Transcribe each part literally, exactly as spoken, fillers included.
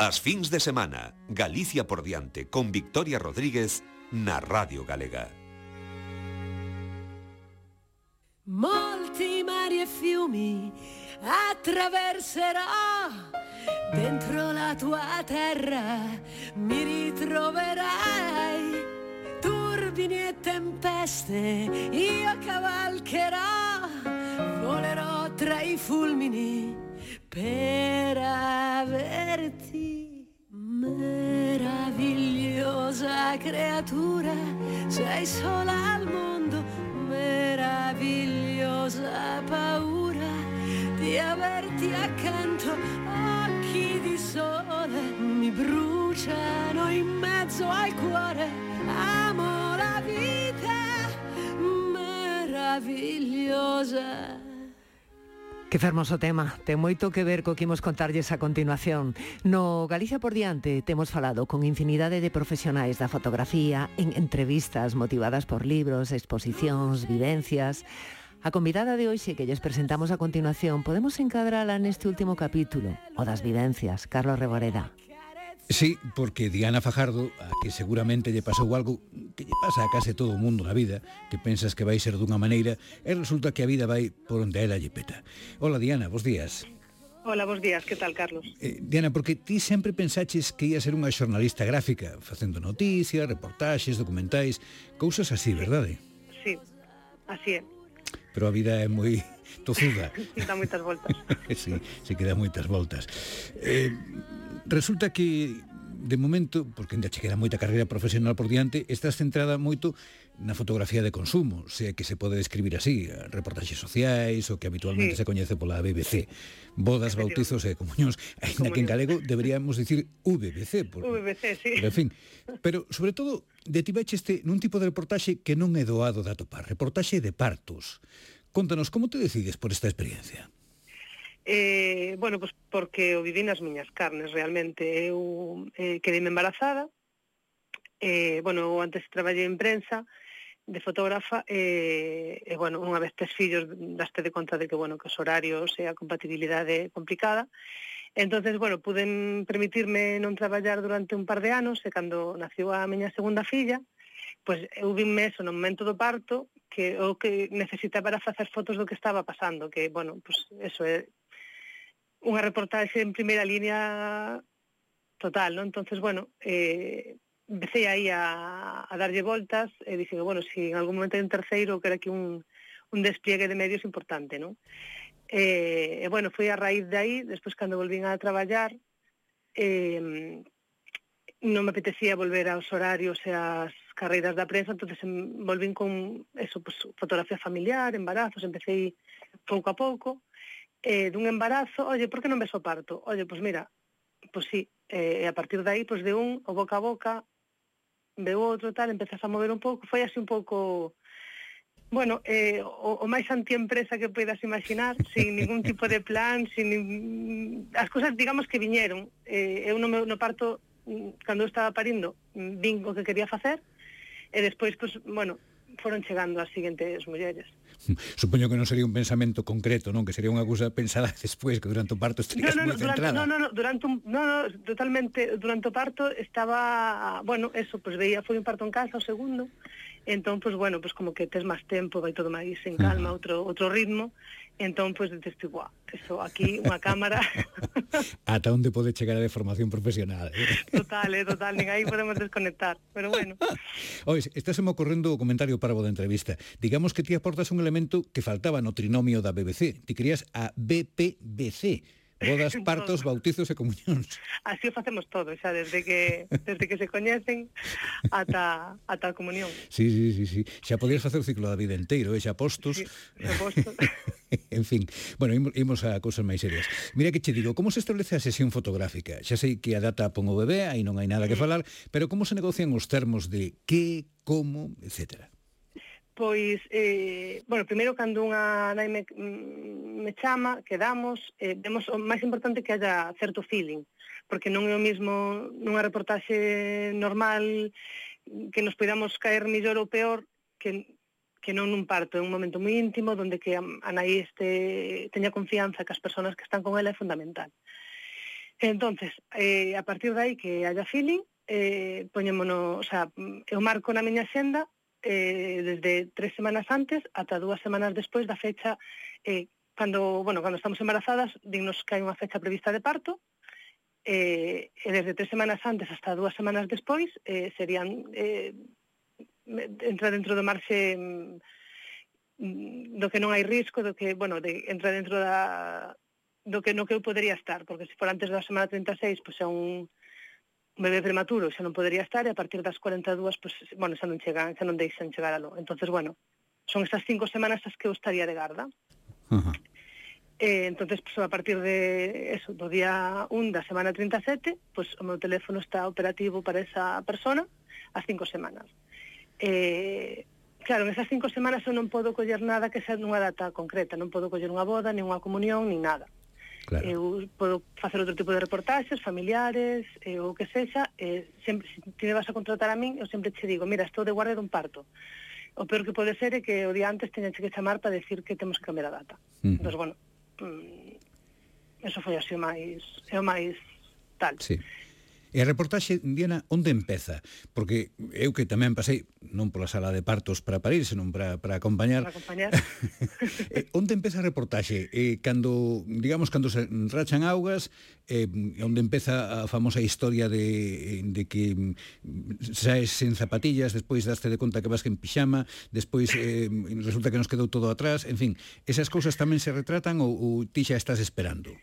As fins de semana, Galicia por diante con Victoria Rodríguez na Radio Galega. Molti mari e fiumi attraverserò, dentro la tua terra mi ritroverai, turbini e tempeste io cavalcherò, volerò tra i fulmini per averti. Meravigliosa creatura, sei sola al mondo, meravigliosa paura di averti accanto, occhi di sole mi bruciano in mezzo al cuore, amo la vita meravigliosa. Que fermoso tema, ten moito que ver co que imos contarlles a continuación. No Galicia por diante temos falado con infinidade de profesionais da fotografía en entrevistas motivadas por libros, exposicións, vivencias. A convidada de hoxe que lles presentamos a continuación podemos encadrala neste último capítulo, o das vivencias, Carlos Reboreda. Sí, porque Diana Fajardo, a que seguramente lle pasou algo que lle pasa a case todo o mundo na vida, que pensas que vai ser dunha maneira, e resulta que a vida vai por onde ela lle peta. Hola Diana, bos días. Hola, bos días, que tal, Carlos? Eh, Diana, porque ti sempre pensaches que ia ser unha xornalista gráfica, facendo noticias, reportaxes, documentais, cousas así, verdade? Sí, así é. Pero a vida é moi tozuda. Dá moitas voltas. Sí, sí que dá moitas voltas. Eh, resulta que, de momento, porque ainda che queda moita carreira profesional por diante, estás centrada moito na fotografía de consumo, se que se pode describir así, reportaxes sociais, o que habitualmente sí se coñece pola B B C. Bodas, bautizos e comunións, ainda que en galego deberíamos dicir V B C. Por, V B C, sí. Pero, en fin, pero, sobre todo, detivecheste nun tipo de reportaxe que non é doado de atopar, reportaxe de partos. Contanos, como te decides por esta experiencia? Eh, bueno, pues porque o viví nas miñas carnes, realmente. Eu eh, quedei embarazada, eh, bueno, eu antes traballei en prensa, de fotógrafa, e, eh, eh, bueno, unha vez tes fillos, daste de conta de que, bueno, que os horarios e a compatibilidade é complicada. Entonces, bueno, puden permitirme non traballar durante un par de anos, e cando nació a miña segunda filla, pois eu vime eso no momento do parto, que o que necesitaba para facer fotos do que estaba pasando, que, bueno, pues eso é unha reportaxe en primeira línea total, ¿no? Entonces, bueno, eh, empecé aí a, a darlle voltas e dixen, bueno, si en algún momento hai un terceiro, que era aquí un, un despliegue de medios importante, ¿no? E, eh, bueno, foi a raíz de aí, despois cando volvín a traballar, eh, non me apetecía volver aos horarios e ás carreiras da prensa, entonces volvín con eso, pues, fotografía familiar, embarazos, empecé pouco a pouco, eh, dun embarazo, oye, por que non ves o parto? Oye, pues mira, pues sí, eh, a partir de aí, pues de un, o boca a boca, veo outro tal, empezas a mover un pouco, foi así un pouco, bueno, eh, o, o máis antiempresa que poidas imaginar, sin ningún tipo de plan, sin nin... as cousas, digamos, que viñeron. Eh, eu no, meu, no parto, cando eu estaba parindo, vin o que quería facer, e despois, pues, bueno, foron chegando as seguintes mulleres. Supoño que non sería un pensamento concreto, non? Que sería unha cousa pensada despois, que durante o parto estarías no, no, moi no, centrada. No, no, no, durante un, no, no, totalmente, durante o parto estaba, bueno, eso, pues veía, foi un parto en casa, o segundo, entón, pues bueno, pues como que tes máis tempo, vai todo máis en calma, uh-huh. outro outro ritmo, entón, pues dices, guau, eso, aquí, unha cámara... Ata onde pode chegar a deformación profesional, eh? Total, eh, total, nin aí podemos desconectar, pero bueno. Oye, estás me ocorrendo o comentario parvo da entrevista. Digamos que ti aportas un elemento que faltaba no trinomio da B B C. Ti querías a B P B C. Bodas, partos, bautizos e comunións. Así o facemos todo, xa, desde que desde que se coñecen ata, ata a comunión. Sí, sí, sí, sí. Xa podías facer o ciclo da vida inteiro, eh? xa postos. Sí, xa postos. En fin, bueno, imos a cousas máis serias. Mira que che digo, como se establece a sesión fotográfica? Xa sei que a data pon o bebé, aí non hai nada que falar, pero como se negocian os termos de que, como, etcétera? Pois, eh, bueno, primeiro cando unha nai me, me chama, quedamos, eh, vemos o máis importante que haya certo feeling, porque non é o mismo nunha reportaxe normal que nos podamos caer mellor ou peor que, que non nun parto, é un momento moi íntimo onde que a, a nai este, teña confianza que as persoas que están con ela é fundamental. Entonces, eh, a partir de aí que haya feeling, eh, poñémonos, o sea, eu marco na miña xenda eh, desde tres semanas antes ata dúas semanas despois da fecha, eh, cando, bueno, cando estamos embarazadas, dignos que hai unha fecha prevista de parto, eh, e desde tres semanas antes hasta dúas semanas despois eh, serían eh, entra dentro do marxe do que non hai risco, do que, bueno, de, entra dentro da do que no que eu podería estar, porque se for antes da semana treinta e seis, pois é un bebé prematuro, xa non podería estar, e a partir das cuarenta e dúas, pois, bueno, xa non chegan, xa non deixan chegar a lo. Entonces, bueno, son estas cinco semanas as que eu estaría de garda. Uh-huh. Eh, entonces, pues, a partir de eso, do día un da semana treinta e sete, pues, o meu teléfono está operativo para esa persona as cinco semanas. Eh, claro, en esas cinco semanas eu non podo coller nada que sea nunha data concreta, non podo coller unha boda, ni unha comunión, ni nada. Claro. Eu podo facer outro tipo de reportaxes, familiares, eh, ou que sexa, eh, sempre, se ti me vas a contratar a min, eu sempre te digo, mira, estou de guardia dun parto. O peor que pode ser é que o día antes teñen que chamar para decir que temos que cambiar a data. Uh-huh. Entón, bueno, eso foi así o máis, é o máis tal. Sí. E a reportaxe, Diana, onde empeza? Porque eu que tamén pasei, non pola sala de partos para parir, senón para, para acompañar. Para acompañar. eh, onde empeza a reportaxe? Eh, cando, digamos, cando se rachan augas, eh, onde empeza a famosa historia de, de que saes en zapatillas, despois daste de conta que vas en pixama, despois eh, resulta que nos quedou todo atrás, en fin, esas cousas tamén se retratan ou, ou ti xa estás esperando?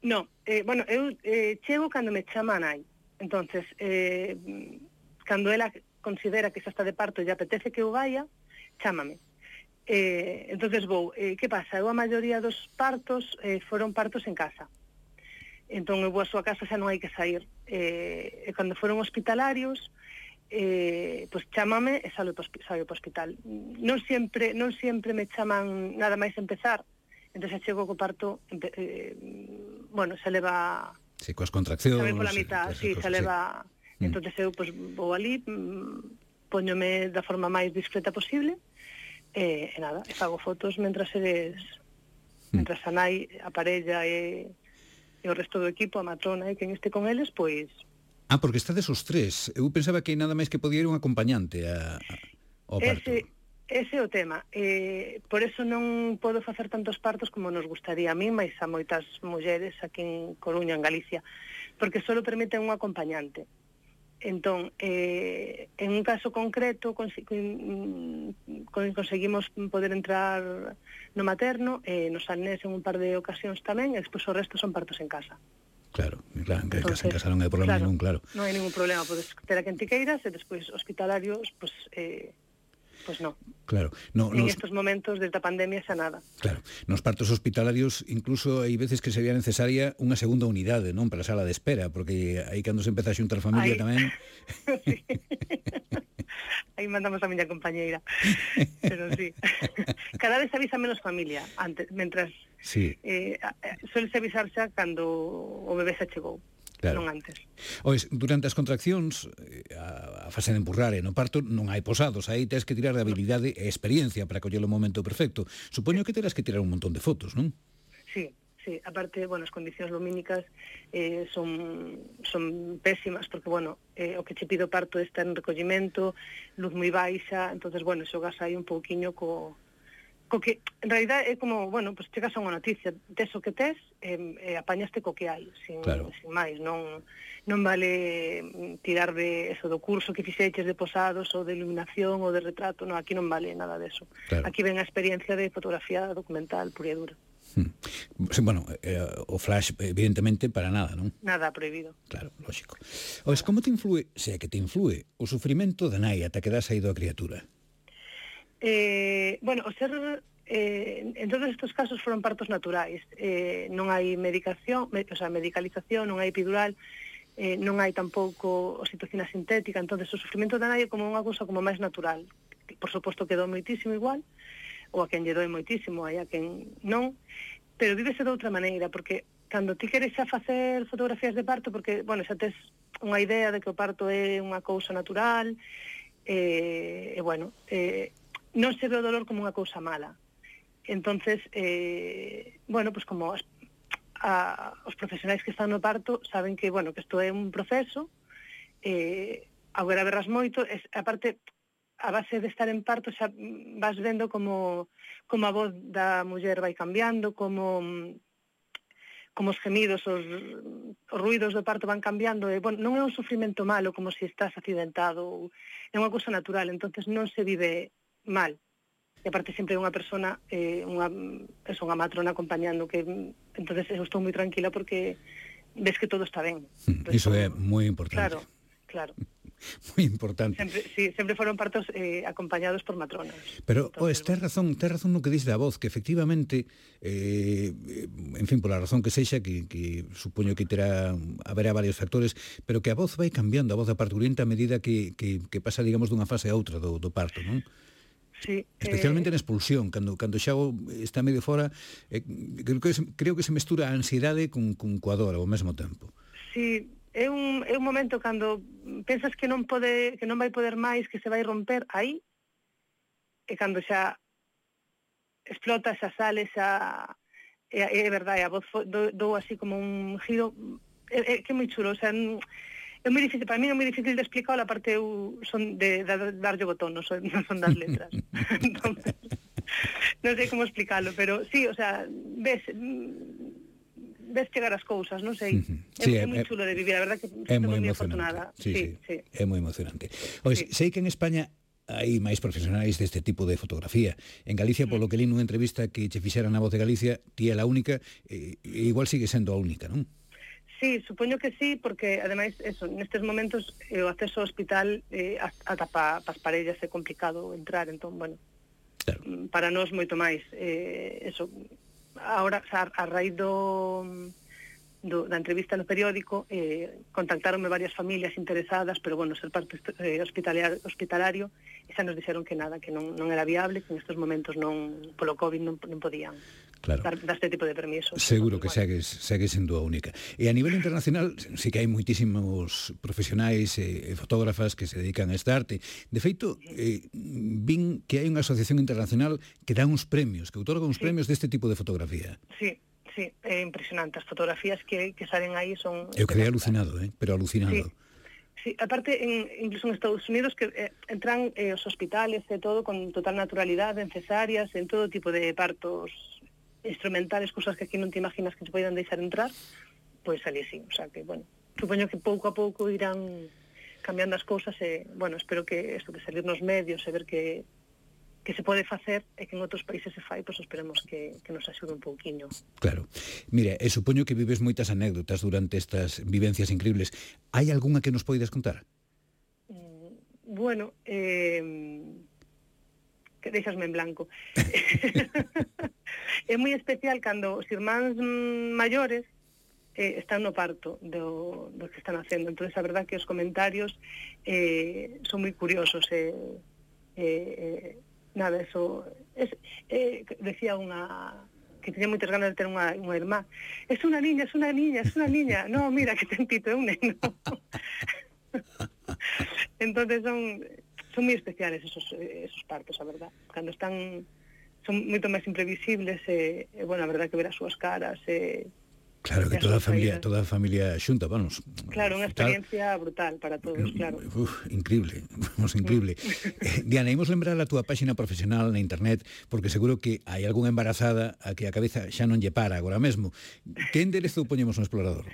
No, eh, bueno, eu eh, chego cando me chama a nai. Entonces, eh, cando ela considera que xa está de parto e lle apetece que eu vaya, chámame. Eh, entonces vou. Eh, que pasa? Eu a maioría dos partos eh, foron partos en casa. Entón eu vou a súa casa, xa non hai que sair. Eh, e cando foron hospitalarios, eh, pois chámame e salgo para o hospital. Non sempre, non sempre me chaman nada máis empezar. Entón xa chego co parto, eh, bueno, xa leva... Sí, coas contraccións. Tamén pola mitad, sí, se leva... Sí. Entón, eu pues, vou ali, poñome da forma máis discreta posible, e, e nada, e fago fotos mentras eres... Mentras a nai, a parella e, e o resto do equipo, a matrona e quen este con eles, pois... Ah, porque estades os tres. Eu pensaba que nada máis que podía ir un acompañante a, a, ao parto. Ese, ese é o tema. Eh, por eso non podo facer tantos partos como nos gustaría a mí, mais a moitas mulleres aquí en Coruña, en Galicia, porque só permiten un acompañante. Entón, eh, en un caso concreto cons conseguimos poder entrar no materno, eh, nos Salnés en un par de ocasións tamén, e despois o resto son partos en casa. Claro, claro, en Entonces, casa, en casa non hai problema claro, ningún, claro. Non hai ningún problema, podes ter a quen ti queiras, e despois hospitalarios, pois... Eh, Pois non. Claro. No, en nos... estos momentos, desde a pandemia, xa nada. Claro. Nos partos hospitalarios, incluso hai veces que sería necesaria unha segunda unidade, non? Para a sala de espera, porque aí cando se empeza a xuntar familia aí... tamén... Sí. Aí mandamos a miña compañeira. Pero sí. Cada vez avisa menos familia, antes, mentras... Sí. Eh, suele avisar xa cando o bebé xa chegou. Claro. Non antes. Ois, durante as contraccións, a, a fase de empurrar e no parto non hai posados, aí tens que tirar de habilidade e experiencia para coller o momento perfecto. Supoño que terás que tirar un montón de fotos, non? Sí, sí. Aparte, bueno, as condicións lumínicas eh, son, son pésimas, porque, bueno, eh, o que che pido parto está en recollimento, luz moi baixa, entonces, bueno, xogas aí un pouquiño co... co que, en realidad, é como, bueno, pues chegas a unha noticia, tes o que tes, e, e apañaste co que hai, sin, claro. sin máis, non, non vale tirar de eso, do curso que fixeches de posados, ou de iluminación, ou de retrato, non, aquí non vale nada deso. Claro. Aquí ven a experiencia de fotografía documental, pura e dura. Hmm. Sí, bueno, eh, o flash, evidentemente, para nada, non? Nada, prohibido. Claro, lógico. Oes, como te influe, se é que te influe, o sufrimento da nai ata que dá saído a criatura? Eh, bueno, o ser eh, en todos estos casos foron partos naturais, eh, non hai medicación, me, o sea, medicalización, non hai epidural, eh, non hai tampouco oxitocina sintética, entonces o sufrimento da nai é como unha cousa como máis natural. Por suposto quedou moitísimo igual, ou a quen lle doe moitísimo, hai a quen non, pero vívese de outra maneira, porque cando ti queres xa facer fotografías de parto, porque, bueno, xa tes unha idea de que o parto é unha cousa natural, e, eh, bueno, eh, non se ve o dolor como unha cousa mala. Entonces, eh, bueno, pues como as, a, os profesionais que están no parto saben que, bueno, que isto é un proceso, eh, agora verás moito, es, aparte, a base de estar en parto xa vas vendo como, como a voz da muller vai cambiando, como, como os gemidos, os, os ruidos do parto van cambiando, e, bueno, non é un sufrimento malo como se estás accidentado, é unha cousa natural, entonces non se vive mal. E aparte sempre é unha persona, eh, unha, es unha matrona acompañando, que entonces eu estou moi tranquila porque ves que todo está ben. Iso é moi importante. Claro, claro. Moi importante. Sempre, sí, sempre foron partos eh, acompañados por matronas. Pero, entonces, pois, ten razón, ten razón no que dice da voz, que efectivamente, eh, en fin, pola razón que sexa, que, que supoño que terá, haberá varios factores, pero que a voz vai cambiando, a voz da parturienta a medida que, que, que pasa, digamos, dunha fase a outra do, do parto, non? Sí, especialmente eh, na expulsión, cando cando xa está medio fora, eh, creo que se, creo que se mestura a ansiedade con con coa dor ao mesmo tempo. Sí, é un é un momento cando pensas que non pode, que non vai poder máis, que se vai romper aí, e cando xa explota, xa sale, xa é, é verdade, a voz dou, dou así como un giro, é, é que é moi chulo, o sea, é moi difícil, para mí é moi difícil de explicar, a parte eu son de, de, de darlle botón, non son, non son das letras. Entonces, non sei como explicarlo, pero sí, o sea, ves ves chegar as cousas, non sei. Sí, é, é moi chulo de vivir, a verdad que é moi afortunada. Sí, sí, sí, sí. É moi emocionante. Pois, sí. Sei que en España hai máis profesionais deste tipo de fotografía. En Galicia, polo que li nunha entrevista que che fixeran na Voz de Galicia, ti é a única, e igual sigue sendo a única, non? Sí, supoño que sí, porque ademais, eso, nestes momentos eh, o acceso ao hospital eh, ata pa, pas parellas é complicado entrar, entón, bueno, claro. Para nós moito máis. Eh, eso, ahora, a, a raíz do, do, da entrevista no periódico, eh, contactaronme varias familias interesadas, pero, bueno, ser parte eh, hospitalario, hospitalario, e xa nos dixeron que nada, que non, non era viable, que nestes momentos non, polo COVID non, non podían. Claro. Dar, dar este tipo de permisos. Seguro que segues, segues sendo a única. E a nivel internacional, sí que hai moitísimos profesionais e, e fotógrafas que se dedican a esta arte. De feito, eh, vin que hai unha asociación internacional que dá uns premios, que outorga uns sí. premios deste tipo de fotografía. Sí, sí, é impresionante. As fotografías que, que salen aí son... Eu quedei alucinado, eh? pero alucinado. Sí. Sí, aparte, en, incluso en Estados Unidos, que eh, entran eh, os hospitales e todo con total naturalidade, en cesáreas, en todo tipo de partos instrumentales, cousas que aquí non te imaginas que se poidan deixar entrar, pois ali sí, o sea que, bueno, supoño que pouco a pouco irán cambiando as cousas e, bueno, espero que isto de salir nos medios e ver que que se pode facer e que en outros países se fai, pois esperemos que, que nos axude un pouquiño. Claro. Mira, e supoño que vives moitas anécdotas durante estas vivencias increíbles. Hai algunha que nos poidas contar? Mm, bueno, eh... que deixasme en blanco. É moi especial cando os irmáns maiores eh, están no parto do, do que están facendo. Entón, a verdad que os comentarios eh, son moi curiosos. Eh, eh, nada, eso... Es, eh, decía unha... que tenía moitas ganas de ter unha, unha irmá. Es unha niña, es unha niña, es unha niña. No, mira, que ten pito, é un neno. Entonces son... son moi especiales esos, esos partos, a verdad. Cando están, son moito máis imprevisibles, e, e bueno, a verdad que ver as súas caras, e... Claro, que toda a familia, toda a familia xunta, vamos. Claro, unha experiencia brutal para todos, claro. Uf, increíble, vamos, increíble. eh, Diana, imos lembrar a túa páxina profesional na internet, porque seguro que hai algunha embarazada a que a cabeza xa non lle para agora mesmo. Que enderezo poñemos no explorador?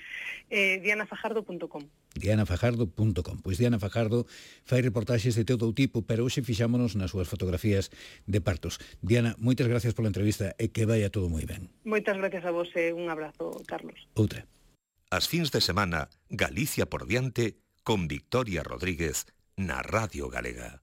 Eh, diana fajardo punto com. diana fajardo punto com. Pois Diana Fajardo fai reportaxes de todo o tipo, pero hoxe fixámonos nas súas fotografías de partos. Diana, moitas gracias pola entrevista e que vaya todo moi ben. Moitas gracias a vos e un abrazo, Carlos. Outra. As fins de semana, Galicia por diante, con Victoria Rodríguez na Radio Galega.